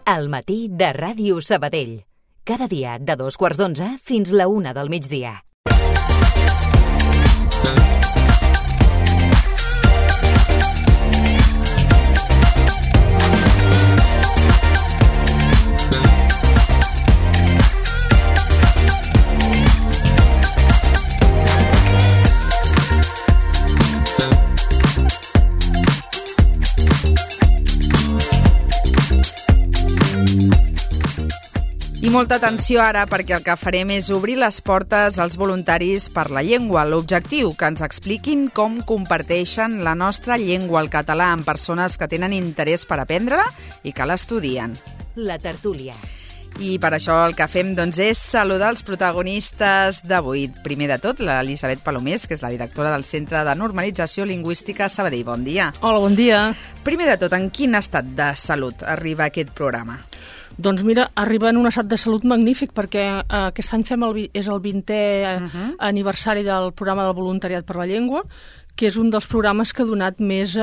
Al matí de Ràdio Sabadell. Cada dia de 2:15 fins la 1 del migdia. I molta atenció ara, perquè el que farem és obrir les portes als voluntaris per la llengua. L'objectiu, que ens expliquin com comparteixen la nostra llengua, el català, amb persones que tenen interès per aprendre-la i que l'estudien. La tertúlia. I per això el que fem és saludar els protagonistes d'avui. Primer de tot, l'Elisabet Palomés, que és la directora del Centre de Normalització Lingüística Sabadell. Bon dia. Hola, bon dia. Primer de tot, en quin estat de salut arriba aquest programa? Doncs mira, arriba en un estat de salut magnífic, perquè aquest any és el 20è aniversari del programa del voluntariat per la llengua, que és un dels programes que ha donat més...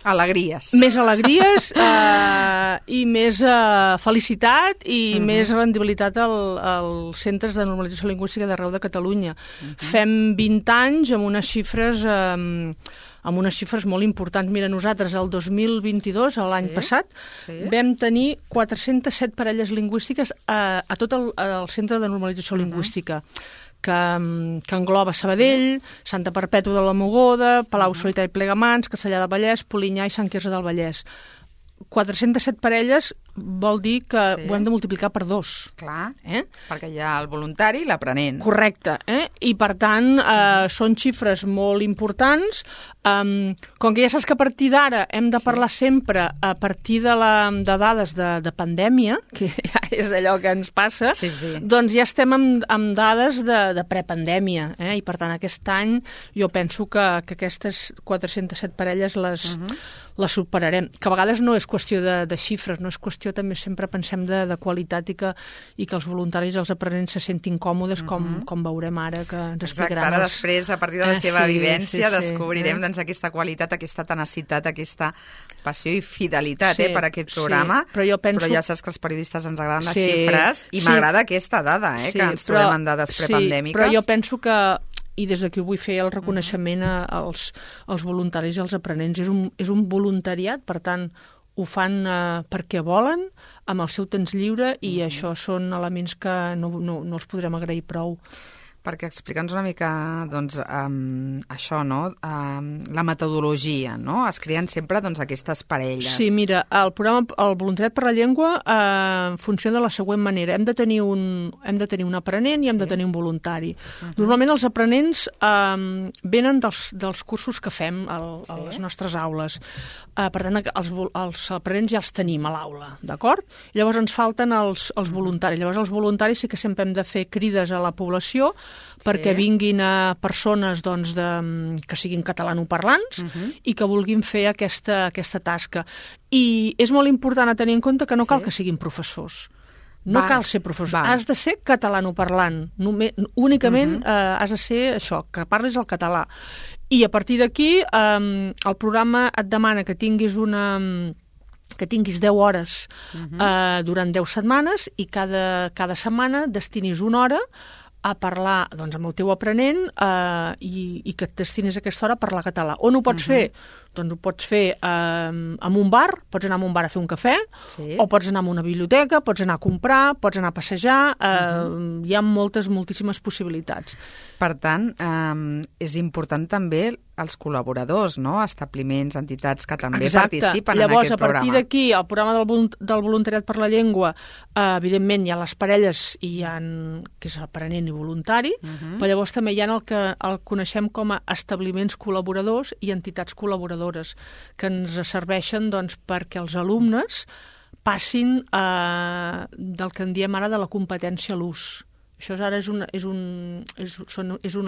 alegries. Més alegries i més felicitat i més rendibilitat als centres de normalització lingüística d'arreu de Catalunya. Fem 20 anys amb unes xifres... amb unes xifres molt importants. Mira, nosaltres el 2022, l'any passat, vam tenir 407 parelles lingüístiques a tot el Centre de Normalització Lingüística, que engloba Sabadell, Santa Perpètua de la Mogoda, Palau Solità i Plegamans, Castellar del Vallès, Polinyà i Sant Quirze del Vallès. 407 parelles vol dir que ho hem de multiplicar per 2. Clar, perquè hi ha el voluntari i l'aprenent. Correcte, i per tant són xifres molt importants. Com que ja saps que a partir d'ara hem de parlar sempre a partir de dades de pandèmia, que ja és allò que ens passa, doncs ja estem amb dades de prepandèmia, i per tant aquest any jo penso que aquestes 407 parelles les superarem. Que a vegades no és qüestió de xifres, no és qüestió, també sempre pensem de qualitat i que els voluntaris i els aprenents se sentin còmodes, com veurem ara, que ens explicaran. Exacte, ara després, a partir de la seva vivència, descobrirem aquesta qualitat, aquesta tenacitat, aquesta passió i fidelitat per aquest programa. Però ja saps que els periodistes ens agraden les xifres i m'agrada aquesta dada, que ens trobem en dades prepandèmiques. Però jo penso que, i des d'aquí vull fer el reconeixement als voluntaris i als aprenents, és un voluntariat, per tant, ho fan perquè volen, amb el seu temps lliure, i això són elements que no els podrem agrair prou. Perquè explica'ns una mica, això, la metodologia, no? Es creen sempre, aquestes parelles. Sí, mira, el voluntariat per la llengua funciona de la següent manera. Hem de tenir un aprenent i hem de tenir un voluntari. Normalment els aprenents venen dels cursos que fem a les nostres aules. Per tant, els aprenents ja els tenim a l'aula, d'acord? Llavors ens falten els voluntaris. Llavors els voluntaris sí que sempre hem de fer crides a la població perquè vinguin a persones que siguin catalanoparlants i que vulguin fer aquesta tasca. I és molt important a tenir en compte que no cal que siguin professors. No cal ser professor, has de ser catalanoparlant. Únicament has de ser això, que parlis el català. I a partir d'aquí el programa et demana que tinguis 10 hores durant 10 setmanes i cada setmana destinis una hora a parlar amb el teu aprenent i que et destinis aquesta hora a parlar català. On ho pots fer? Doncs ho pots fer en un bar, pots anar a un bar a fer un cafè, o pots anar a una biblioteca, pots anar a comprar, pots anar a passejar, hi ha moltíssimes possibilitats. Per tant, és important també els col·laboradors, no? Establiments, entitats que també participen en aquest programa. Llavors, a partir d'aquí, el programa del voluntariat per la llengua, evidentment hi ha les parelles, que és aprenent i voluntari, però llavors també hi ha el que el coneixem com a establiments col·laboradors i entitats col·laboradores, que ens serveixen perquè els alumnes passin del que en diem ara de la competència a l'ús. Això ara és un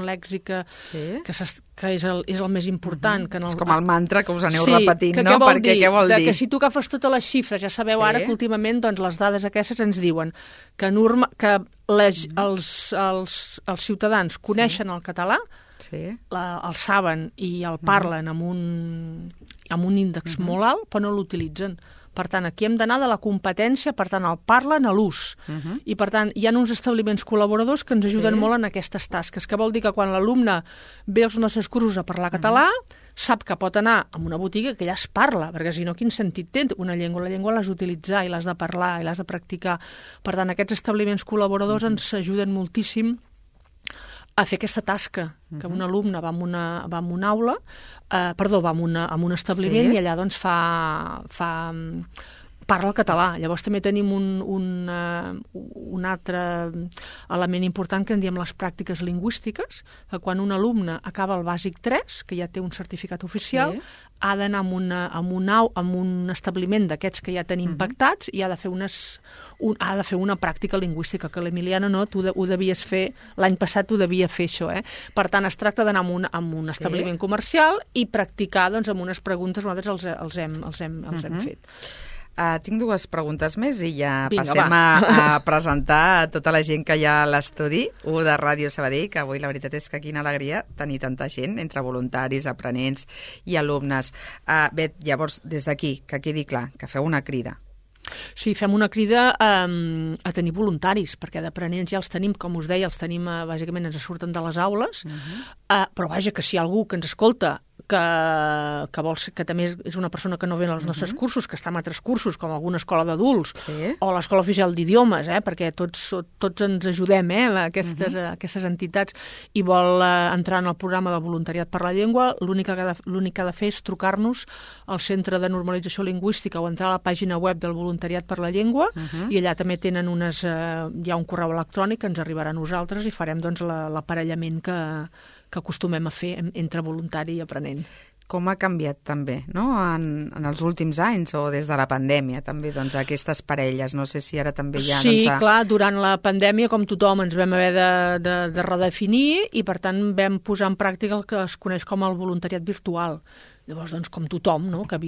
lèxic que és el més important. És com el mantra que us aneu repetint, no? Perquè què vol dir? Que si tu agafes totes les xifres, ja sabeu ara que últimament les dades aquestes ens diuen que els ciutadans coneixen el català, el saben i el parlen amb un índex molt alt, però no l'utilitzen. Per tant, aquí hem d'anar de la competència, per tant, al parlen a l'ús. I, per tant, hi ha uns establiments col·laboradors que ens ajuden molt en aquestes tasques, que vol dir que quan l'alumne ve als nostres cursos a parlar català, sap que pot anar a una botiga que ja es parla, perquè si no, quin sentit té una llengua? La llengua l'has d'utilitzar i l'has de parlar i l'has de practicar. Per tant, aquests establiments col·laboradors ens ajuden moltíssim a fer aquesta tasca, que un alumne va a una aula, va a un establiment i allà doncs parla el català. Llavors també tenim un altre element important que en diem les pràctiques lingüístiques, que quan un alumne acaba el bàsic 3, que ja té un certificat oficial, ha d'anar a un establiment d'aquests que ja tenim pactats i ha de fer una pràctica lingüística, que l'Emiliana no, tu ho devies fer, l'any passat ho devia fer això. Per tant, es tracta d'anar a un establiment comercial i practicar amb unes preguntes, nosaltres els hem fet. Tinc dues preguntes més i ja passem a presentar a tota la gent que hi ha a l'estudi 1 de Ràdio Sabadell, que avui la veritat és que quina alegria tenir tanta gent, entre voluntaris, aprenents i alumnes. Bé, llavors, des d'aquí, que quedi clar, que feu una crida. Sí, fem una crida a tenir voluntaris, perquè d'aprenents ja els tenim, com us deia, bàsicament ens surten de les aules, però vaja, que si hi ha algú que ens escolta que també és una persona que no ve als nostres cursos, que està en altres cursos, com alguna escola d'adults o l'Escola Oficial d'Idiomes, perquè tots ens ajudem, aquestes entitats, i vol entrar en el programa de voluntariat per la llengua, l'únic que ha de fer és trucar-nos al Centre de Normalització Lingüística o entrar a la pàgina web del voluntariat per la llengua, i allà també tenen hi ha un correu electrònic que ens arribarà a nosaltres i farem l'aparellament que acostumem a fer entre voluntari i aprenent. Com ha canviat també, no?, en els últims anys o des de la pandèmia també, doncs, aquestes parelles, no sé si ara també hi ha... Sí, clar, durant la pandèmia, com tothom, ens vam haver de redefinir i, per tant, vam posar en pràctica el que es coneix com el voluntariat virtual. Llavors, doncs, com tothom, no?, que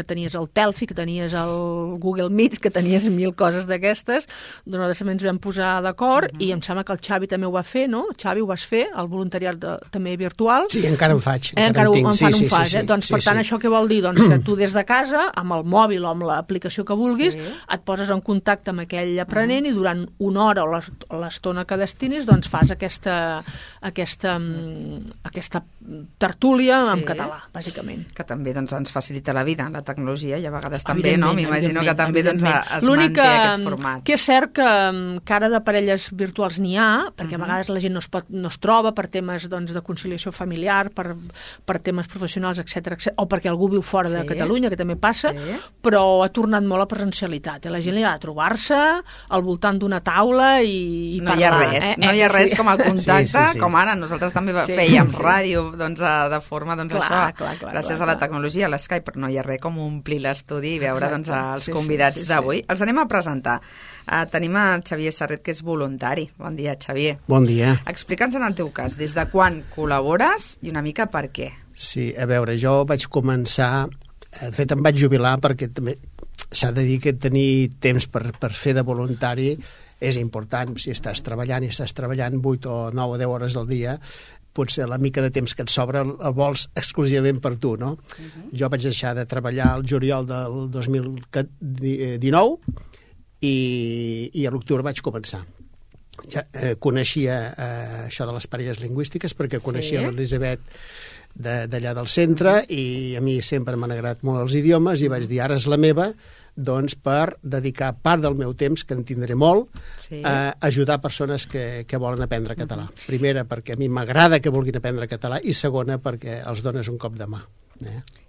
tenies el Telfi, que tenies el Google Meet, que tenies 1000 coses d'aquestes, nosaltres també ens vam posar d'acord i em sembla que el Xavi també ho va fer, no? Xavi, ho vas fer, el voluntariat també virtual. Sí, encara en faig. Encara en fas. Doncs, per tant, això què vol dir? Doncs que tu des de casa, amb el mòbil o amb l'aplicació que vulguis, et poses en contacte amb aquell aprenent i durant una hora o l'estona que destinis, doncs fas aquesta tertúlia en català, bàsicament. Que també doncs, ens facilita la vida, la tecnologia, i a vegades també, no? M'imagino que també doncs, es manté aquest format. Que és cert que ara de parelles virtuals n'hi ha, perquè a vegades la gent no es troba per temes de conciliació familiar, per temes professionals, etc, o perquè algú viu fora de Catalunya, que també passa, però ha tornat molt a presencialitat. La gent li ha de trobar-se al voltant d'una taula i parlar. No hi ha res com el contacte, com ara nosaltres també fèiem ràdio de forma això, gràcies a la tecnologia, a l'Skype, però no hi ha res com omplir l'estudi i veure els convidats d'avui. Els anem a presentar. Tenim el Xavier Serret, que és voluntari. Bon dia, Xavier. Bon dia. Explica'ns en el teu cas, des de quan col·labores i una mica per què. Sí, a veure, jo vaig començar, de fet em vaig jubilar perquè també s'ha de dir que tenir temps per fer de voluntari és important. Si estàs treballant 8 o 9 o 10 hores al dia, potser la mica de temps que et sobra el vols exclusivament per tu, no? Jo vaig deixar de treballar al juliol del 2019 i a l'octubre vaig començar. Ja coneixia això de les parelles lingüístiques perquè coneixia l'Elisabet d'allà del centre i a mi sempre m'han agradat molt els idiomes i vaig dir, ara és la meva, doncs per dedicar part del meu temps, que en tindré molt, a ajudar persones que volen aprendre català. Primera, perquè a mi m'agrada que vulguin aprendre català, i segona, perquè els dones un cop de mà.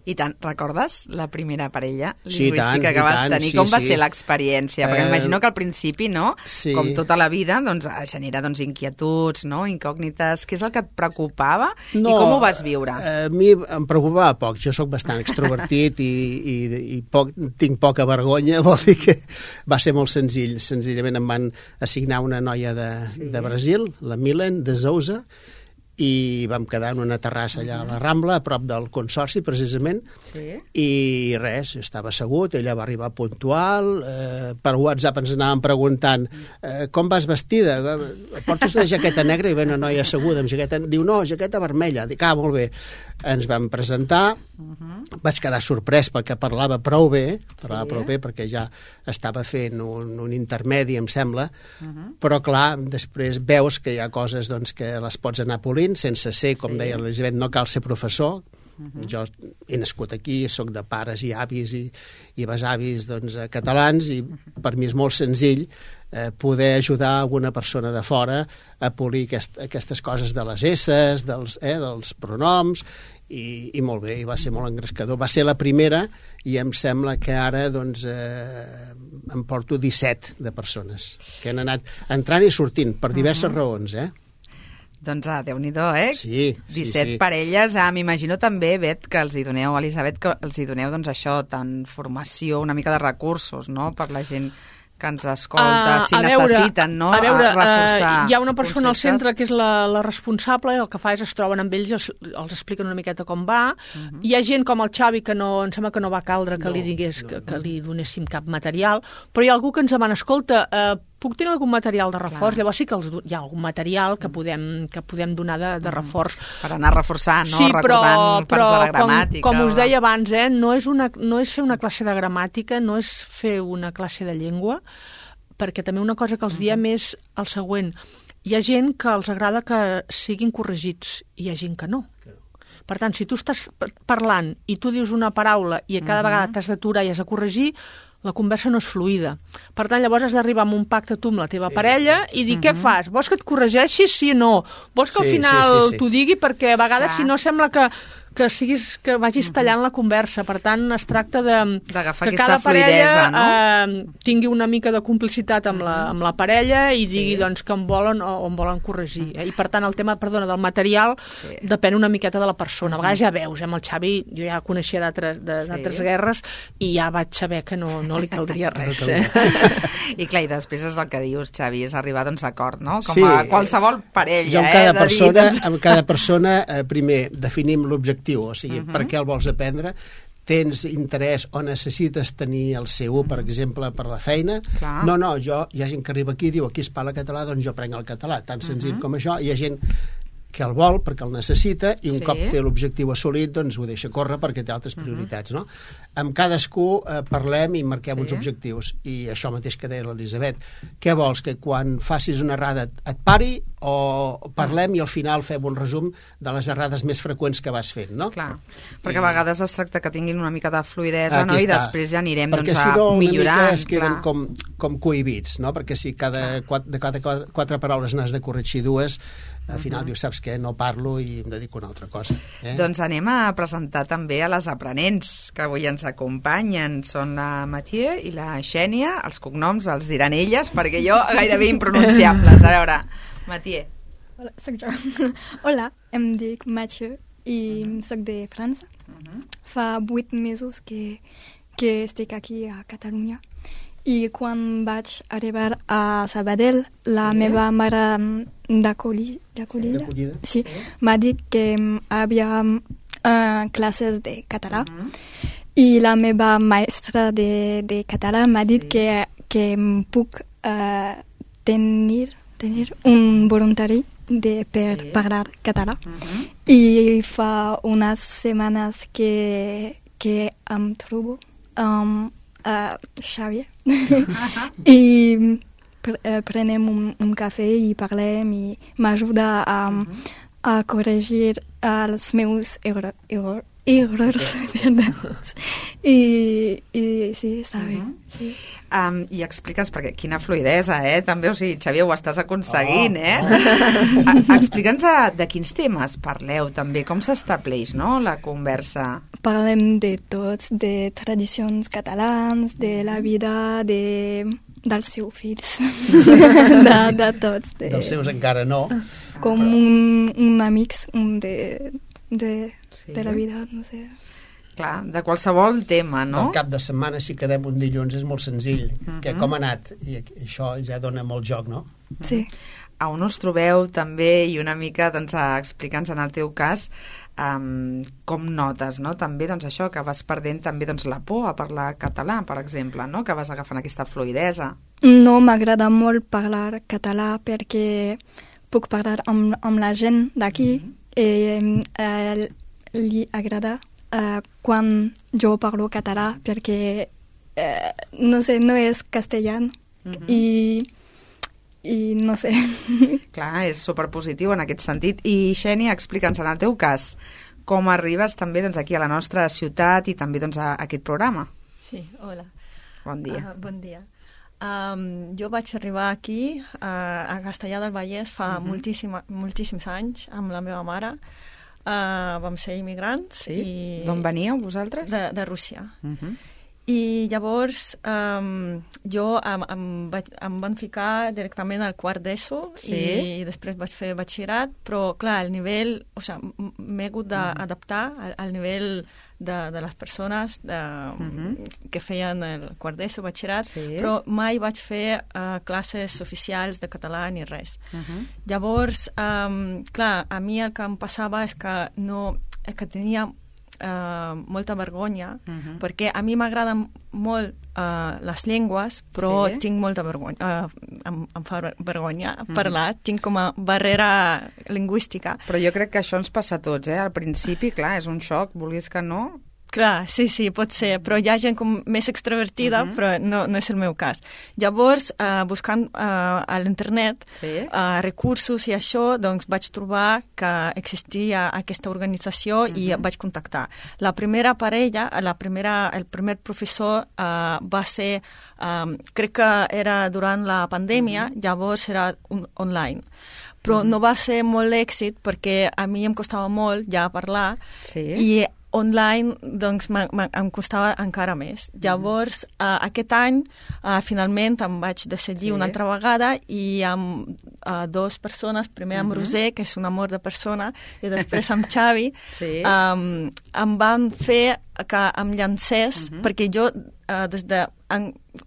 I tant, recordes la primera parella lingüística que vas tenir? Com va ser l'experiència? Perquè m'imagino que al principi, no? Com tota la vida, doncs genera inquietuds, no? Incògnites. Què és el que et preocupava i com ho vas viure? A mi em preocupava poc. Jo sóc bastant extrovertit i tinc poca vergonya, vol dir que va ser molt senzill. Senzillament em van assignar una noia de Brasil, la Milen de Sousa, i vam quedar en una terrassa allà a la Rambla, a prop del Consorci, precisament, i res, estava assegut, ella va arribar puntual, per WhatsApp ens anàvem preguntant com vas vestida? Portes una jaqueta negra? I ve una noia asseguda amb jaqueta, diu no, jaqueta vermella. Dic, molt bé. Ens vam presentar vaig quedar sorprès perquè parlava prou bé, perquè ja estava fent un intermedi, em sembla, però clar, després veus que hi ha coses doncs, que les pots anar polint sense ser, com deia l'Elisabet, no cal ser professor. Jo he nascut aquí, sóc de pares i avis i besavis doncs, catalans, i per mi és molt senzill poder ajudar alguna persona de fora a polir aquestes coses de les esses, dels pronoms, i molt bé, i va ser molt engrescador. Va ser la primera i em sembla que ara doncs, em porto 17 de persones que han anat entrant i sortint per diverses raons, Doncs, Déu-n'hi-do, Sí, 17 parelles. M'imagino també, Bet, que els hi doneu, Elisabet, que els hi doneu, doncs, això, tant formació, una mica de recursos, no?, per la gent que ens escolta, si necessiten, no?, reforçar hi ha una persona al centre que és la responsable, i el que fa és es troben amb ells, els expliquen una miqueta com va. Hi ha gent com el Xavi que no, em sembla que no va caldre que li digués que li donéssim cap material, però hi ha algú que ens demana, escolta, puc tenir algun material de reforç? Llavors sí que hi ha algun material que podem donar de reforç. Per anar reforçant, no? Sí, recordant parts de la gramàtica. Com us deia abans, no és fer una classe de gramàtica, no és fer una classe de llengua, perquè també una cosa que els diem és el següent. Hi ha gent que els agrada que siguin corregits i hi ha gent que no. Per tant, si tu estàs parlant i tu dius una paraula i cada vegada t'has d'aturar i has de corregir, la conversa no és fluida. Per tant, llavors has d'arribar amb un pacte tu amb la teva parella i dir, què fas? Vols que et corregeixi, sí o no? Vols que al final t'ho digui? Perquè a vegades, si no, sembla que vagis tallant la conversa. Per tant, es tracta d'agafar que cada fluidesa, parella tingui una mica de complicitat amb la parella i digui doncs, que em volen o em volen corregir. I per tant, el tema del material depèn una miqueta de la persona. A vegades ja veus, amb el Xavi, jo ja coneixia d'altres guerres i ja vaig saber que no li caldria res. I clar, i després és el que dius, Xavi, és arribar doncs, a acord, no? Com a qualsevol parella. Jo amb cada persona primer definim l'objectiu, o sigui, per què el vols aprendre, tens interès o necessites tenir el C1, per exemple, per la feina. No, hi ha gent que arriba aquí i diu, aquí es parla català, doncs jo aprenc el català, tan senzill com això. Hi ha gent que el vol perquè el necessita i un cop té l'objectiu assolit, doncs ho deixa córrer perquè té altres prioritats, no? Amb cadascú parlem i marquem uns objectius, i això mateix que deia l'Elisabet. Què vols? Que quan facis una errada et pari o parlem i al final fem un resum de les errades més freqüents que vas fent, no? Clar, perquè a vegades es tracta que tinguin una mica de fluidesa, no? I després ja anirem perquè doncs, si no, millorant. Perquè si no, es queden com cohibits, no? Perquè si de cada 4 paraules n'has de corregir 2, al final dius, saps què, no parlo i em dedico a una altra cosa. Doncs anem a presentar també a les aprenents que avui ens acompanyen. Són la Mathieu i la Xènia. Els cognoms els diran elles, perquè jo gairebé impronunciables. A veure, Mathieu. Hola, soc jo. Hola, em dic Mathieu i soc de França. Fa 8 mesos que estic aquí a Catalunya. I quan vaig arribar a Sabadell, la meva mare d'acollida m'ha dit que havia classes de català i la meva mestra de català m'ha dit que puc tenir un voluntari per parlar català. I fa unes setmanes que em trobo Xavier i prenem un cafè i parlem i m'ajuda a corregir els meus errors. I sí, està bé. Sí. I explica'ns, perquè quina fluidesa, també, o sigui, Xavier, ho estàs aconseguint, Explica'ns de quins temes parleu, també, com s'estableix, no?, la conversa. Parlem de tots, de tradicions catalans, de la vida, dels seus fills, de tots. Dels seus encara no. Com un amics de la vida, no sé. Clar, de qualsevol tema, no? Al cap de setmana, si quedem un dilluns, és molt senzill. Com ha anat? I això ja dona molt joc, no? Sí. A on us trobeu també i una mica doncs, explica'ns en el teu cas com notes, no? També doncs, això, que vas perdent també doncs, la por a parlar català, per exemple, no? Que vas agafant aquesta fluidesa. No m'agrada molt parlar català perquè puc parlar amb la gent d'aquí i li agrada quan jo parlo català, perquè, no sé, no és castellà, i no sé. Clar, és superpositiu en aquest sentit. I, Xènia, explica'ns, en el teu cas, com arribes també doncs, aquí a la nostra ciutat i també doncs, a aquest programa. Sí, hola. Bon dia. Bon dia. Jo vaig arribar aquí, a Castellar del Vallès, fa moltíssims anys, amb la meva mare. Vam ser immigrants. Sí? I... D'on veníeu, vosaltres? De Rússia. I llavors jo em van ficar directament al quart d'ESO i després vaig fer batxillerat, però clar, el nivell, o sigui, m'he hagut d'adaptar al nivell de les persones que feien el quart d'ESO, batxillerat, però mai vaig fer classes oficials de català ni res. Llavors, clar, a mi el que em passava és que tenia molta vergonya, perquè a mi m'agraden molt les llengües, però tinc molta vergonya, em fa vergonya parlar, tinc com a barrera lingüística. Però jo crec que això ens passa a tots, Al principi, clar, és un xoc, vulguis que no. Clar, sí, pot ser, però hi ha gent com més extrovertida, però no és el meu cas. Llavors, buscant a l'internet recursos i això, doncs vaig trobar que existia aquesta organització i vaig contactar. La primera parella, el primer professor va ser, crec que era durant la pandèmia, llavors era online. Però no va ser molt èxit perquè a mi em costava molt ja parlar i online, doncs, em costava encara més. Llavors, aquest any, finalment, em vaig decidir una altra vegada i amb dues persones, primer amb Roser, que és un amor de persona, i després amb Xavi, em van fer que em llancés, perquè jo, des de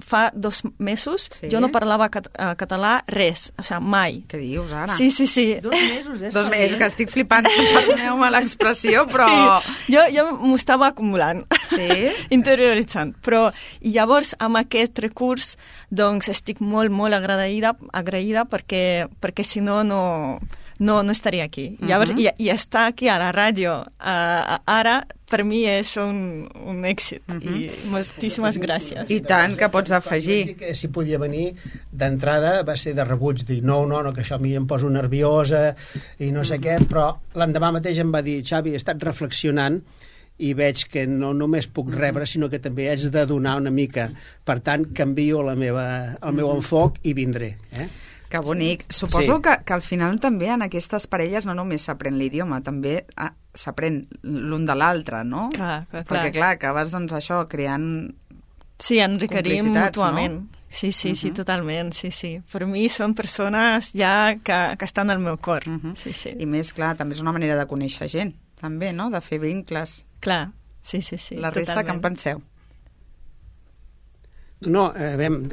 fa 2 mesos, jo no parlava català res, o sigui, mai. Què dius, ara? Sí. 2 mesos, 2 mesos, que estic flipant, perdoneu-me l'expressió, però... Sí, jo m'ho estava acumulant, interioritzant, però i llavors amb aquest recurs doncs estic molt, molt agraïda perquè si no estaria aquí. Llavors, i estar aquí a la ràdio ara, per mi és un èxit. I moltíssimes gràcies. I tant que pots afegir. Que si podia venir, d'entrada va ser de rebuig, dir no, que això a mi em poso nerviosa i no sé què, però l'endemà mateix em va dir, Xavi, he estat reflexionant i veig que no només puc rebre, sinó que també haig de donar una mica. Per tant, canvio el meu enfoc i vindré. Que bonic. Suposo que al final també en aquestes parelles no només s'aprèn l'idioma, també s'aprèn l'un de l'altre, no? Clar. Perquè clar, acabes doncs això creant enriquerim mútuament. No? Sí, totalment, sí. Per mi són persones ja que estan al meu cor. Sí. I més, clar, també és una manera de conèixer gent, també, no? De fer vincles. Clar, sí. La resta, què en penseu? No,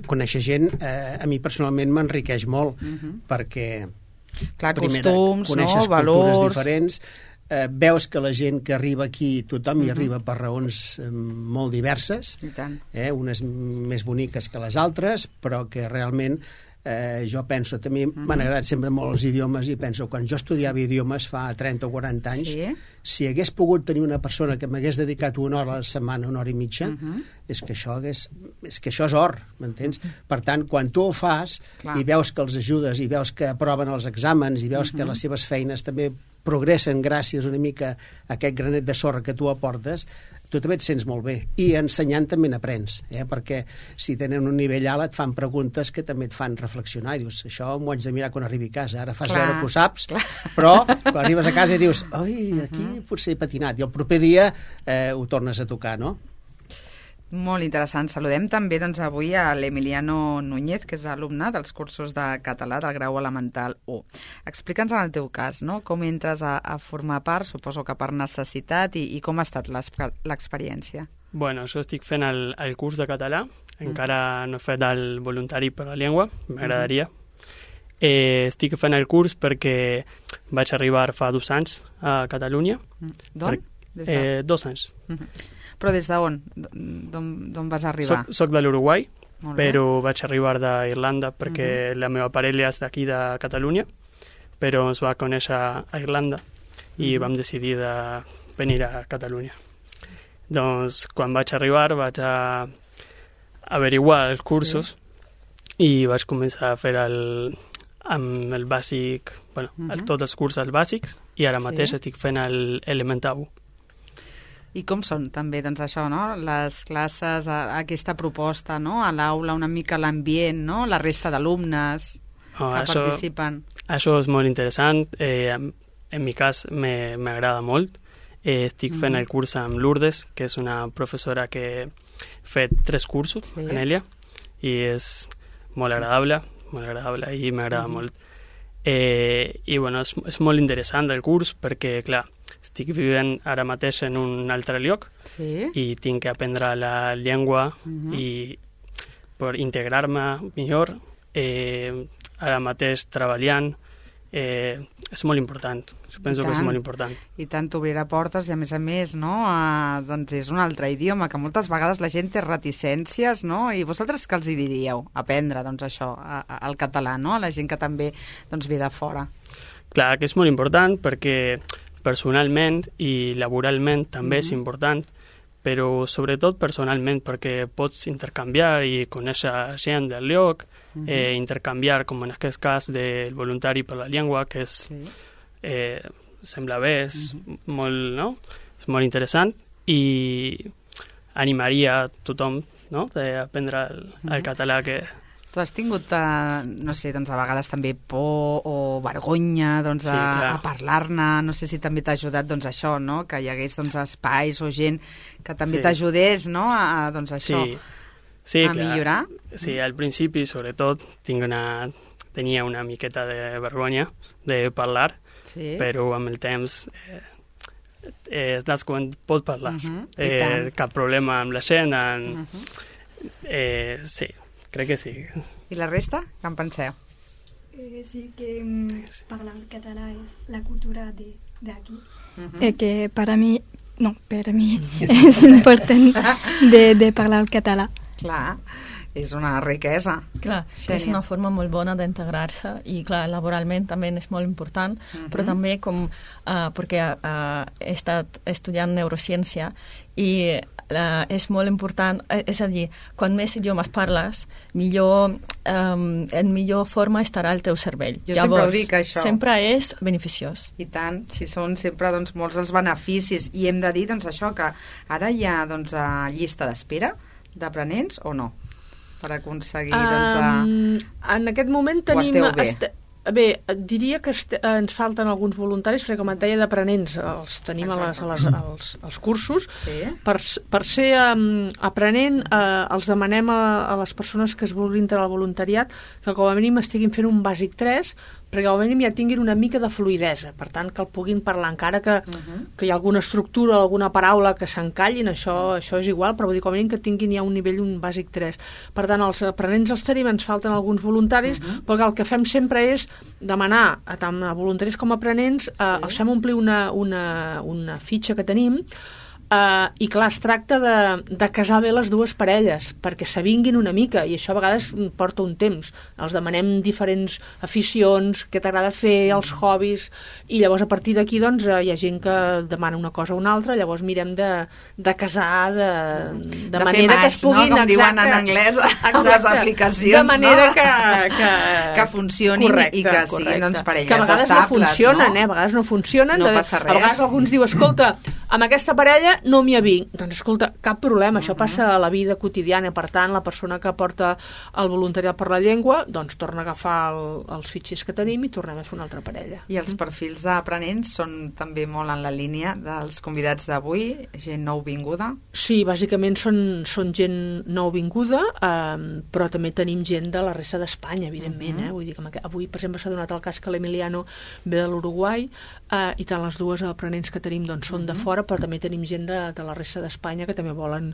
conèixer gent a mi personalment m'enriqueix molt perquè costums, coneixes valors diferents, veus que la gent que arriba aquí, tothom hi arriba per raons molt diverses, unes més boniques que les altres, però que realment jo penso, també m'han agradat sempre molt els idiomes i penso, quan jo estudiava idiomes fa 30 o 40 anys, si hagués pogut tenir una persona que m'hagués dedicat 1 hora a la setmana, 1 hora i mitja, és que això és or, m'entens? Per tant, quan tu ho fas i veus que els ajudes i veus que aproven els exàmens i veus que les seves feines també progressen gràcies una mica a aquest granet de sorra que tu aportes, tu també et sents molt bé. I ensenyant també n'aprens, perquè si tenen un nivell alt et fan preguntes que també et fan reflexionar i dius, això m'ho haig de mirar quan arribi a casa. Ara fas veure que ho saps, però quan arribes a casa i dius, oi, aquí potser he patinat, i el proper dia ho tornes a tocar, no? Molt interessant. Saludem també doncs, avui a l'Emiliano Núñez, que és alumne dels cursos de català del grau elemental 1. Explica'ns en el teu cas, no? Com entres a formar part, suposo que per necessitat, i com ha estat l'experiència? Bueno, jo estic fent el curs de català, encara no he fet el voluntari per la llengua, m'agradaria. Estic fent el curs perquè vaig arribar fa 2 anys a Catalunya. D'on? 2 anys. Però des d'on? D'on vas arribar? Soc de l'Uruguai, però vaig arribar d'Irlanda perquè la meva parella és d'aquí de Catalunya, però ens va conèixer a Irlanda i vam decidir de venir a Catalunya. Doncs quan vaig arribar vaig averiguar els cursos i vaig començar a fer amb el bàsic, tots els cursos bàsics, i ara mateix estic fent l'Element 1. I com són també, doncs això, no? Les classes, aquesta proposta, no? A l'aula, una mica l'ambient, no? La resta d'alumnes que participen. Això és molt interessant. En mi cas m'agrada molt. Estic fent el curs amb Lourdes, que és una professora que ha fet 3 cursos en ella, i és molt agradable i m'agrada molt. I bueno, és molt interessant el curs perquè, clar, estic vivint ara mateix en un altre lloc i tinc que aprendre la llengua i per integrar-me millor, ara mateix treballant, és molt important. Penso que és molt important. I tant, t'obrirà portes i, a més, no? Doncs és un altre idioma, que moltes vegades la gent té reticències, no? I vosaltres què els hi diríeu? Aprendre, doncs, això, el català, no? A la gent que també ve de fora. Clar, que és molt important perquè personalment i laboralment també és important, però sobretot personalment perquè pots intercanviar i conèixer gent del lloc, intercanviar, com en aquest cas del voluntari per la llengua, que és, sembla bé, és molt, no? És molt interessant i animaria a tothom, no? D'aprendre el català que... Tu has tingut, no sé, doncs a vegades també por o vergonya doncs, a parlar-ne, no sé si també t'ha ajudat doncs, això, no? Que hi hagués doncs, espais o gent que també t'ajudés, no? Doncs, això, a millorar. Sí, al principi, sobretot, tenia una miqueta de vergonya de parlar, però amb el temps quan pots parlar. Cap problema amb la gent. Sí. Crec que sí. I la resta? Què en penseu? Sí, que parlar català és la cultura d'aquí. Que per a mi és important de parlar el català. Clar, és una riquesa. Clar, és una forma molt bona d'integrar-se i, clar, laboralment també és molt important, però també perquè he estat estudiant neurociència i és molt important, és a dir, quan més idiomes parles, en millor forma estarà el teu cervell. Jo sempre ho dic, això. Sempre és beneficiós. I tant, si són sempre doncs, molts els beneficis. I hem de dir doncs, això, que ara hi ha doncs, llista d'espera d'aprenents o no? Per aconseguir en aquest moment tenim... O esteu bé? Bé, diria que ens falten alguns voluntaris, perquè com et deia d'aprenents els tenim als cursos. Per ser aprenent els demanem a les persones que es vulguin entrar al voluntariat que com a mínim estiguin fent un bàsic 3, perquè com a mínim ja tinguin una mica de fluïdesa, per tant que el puguin parlar, encara que hi ha alguna estructura o alguna paraula que s'encallin, això és igual, però vull dir, com a mínim que tinguin ja un nivell, un bàsic 3. Per tant, els aprenents els tenim, ens falten alguns voluntaris, perquè el que fem sempre és demanar tant a voluntaris com a aprenents, els fem omplir una fitxa que tenim, i clar, es tracta de casar bé les dues parelles perquè s'avinguin una mica, i això a vegades porta un temps. Els demanem diferents aficions, què t'agrada fer, els hobbies, i llavors a partir d'aquí doncs, hi ha gent que demana una cosa o una altra, llavors mirem de casar de manera que es puguin, no? Com diuen en anglès les aplicacions, de manera que funcionin i que siguin doncs, parelles estables, que a vegades no funcionen, a vegades no funcionen, no passa res. A vegades algú diu, escolta, amb aquesta parella no m'hi avinc. Doncs escolta, cap problema, això passa a la vida quotidiana, per tant la persona que porta el voluntariat per la llengua doncs torna a agafar els fitxers que tenim i tornem a fer una altra parella. I els perfils d'aprenents són també molt en la línia dels convidats d'avui, gent nouvinguda? Sí, bàsicament són gent nouvinguda, però també tenim gent de la resta d'Espanya, evidentment. Vull dir que avui, per exemple, s'ha donat el cas que l'Emiliano ve de l'Uruguai, i tant les dues aprenents que tenim doncs, són de fora, però també tenim gent de la resta d'Espanya que també volen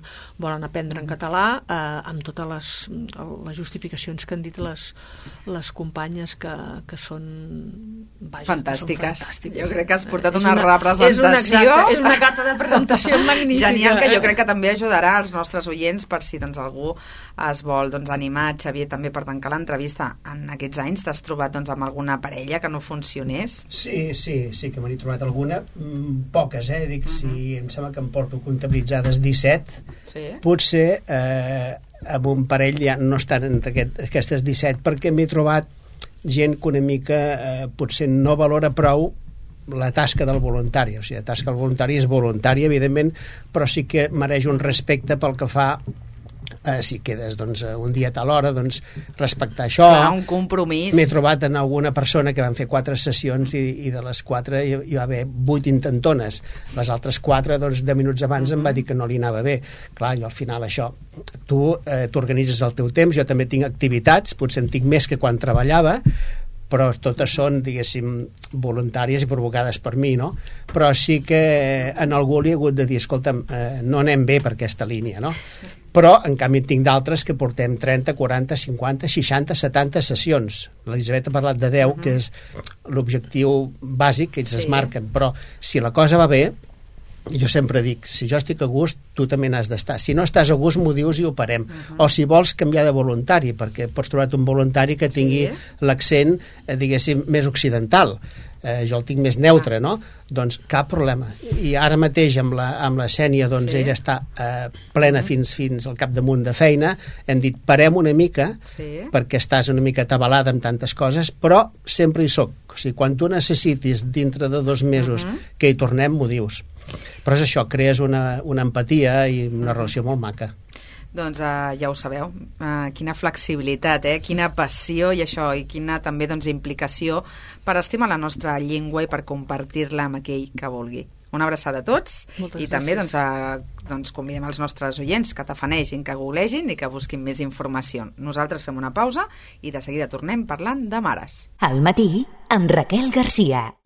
aprendre en català, amb totes les justificacions que han dit les companyes que són fantàstiques. Jo crec que has portat una representació. És una carta de presentació magnífica. Genial, que jo crec que també ajudarà als nostres oients per si doncs, algú es vol animar. Xavier, també per tancar l'entrevista, en aquests anys t'has trobat amb alguna parella que no funcionés? Sí, que me n'he trobat alguna, poques, dic si em sembla que em porto comptabilitzades 17, potser amb un parell ja no estan entre aquestes 17, perquè m'he trobat gent que una mica potser no valora prou la tasca del voluntari. O sigui, la tasca del voluntari és voluntària, evidentment, però sí que mereix un respecte pel que fa si quedes un dia a tal hora, respectar això. Clar, un compromís. M'he trobat en alguna persona que van fer 4 sessions i de les 4 hi va haver 8 intentones. Les altres 4, 10 minuts abans em va dir que no li anava bé. Clar, jo al final això, tu t'organitzes el teu temps, jo també tinc activitats, potser en tinc més que quan treballava, però totes són, diguéssim, voluntàries i provocades per mi, no? Però sí que en algú li he hagut de dir, escolta'm, no anem bé per aquesta línia, no? Però, en canvi, tinc d'altres que portem 30, 40, 50, 60, 70 sessions. L'Elisabet ha parlat de 10, que és l'objectiu bàsic que ells es marquen, però si la cosa va bé, jo sempre dic, si jo estic a gust, tu també n'has d'estar. Si no estàs a gust, m'ho dius i ho parem. O si vols canviar de voluntari, perquè pots trobar un voluntari que tingui l'accent, diguéssim, més occidental. Jo el tinc més neutre, no? Doncs cap problema. I ara mateix amb la Xènia, ella està plena fins al capdamunt de feina. Hem dit, parem una mica, perquè estàs una mica atabalada amb tantes coses, però sempre hi soc. O sigui, quan tu necessitis dintre de 2 mesos que hi tornem, m'ho dius. Però és això, crees una empatia i una relació molt maca. Doncs ja ho sabeu, quina flexibilitat, quina passió i això, i quina també implicació per estimar la nostra llengua i per compartir-la amb aquell que vulgui. Una abraçada a tots. Moltes també convidem els nostres oients que tafanegin, que googlegin i que busquin més informació. Nosaltres fem una pausa i de seguida tornem parlant de mares. Al matí amb Raquel Garcia.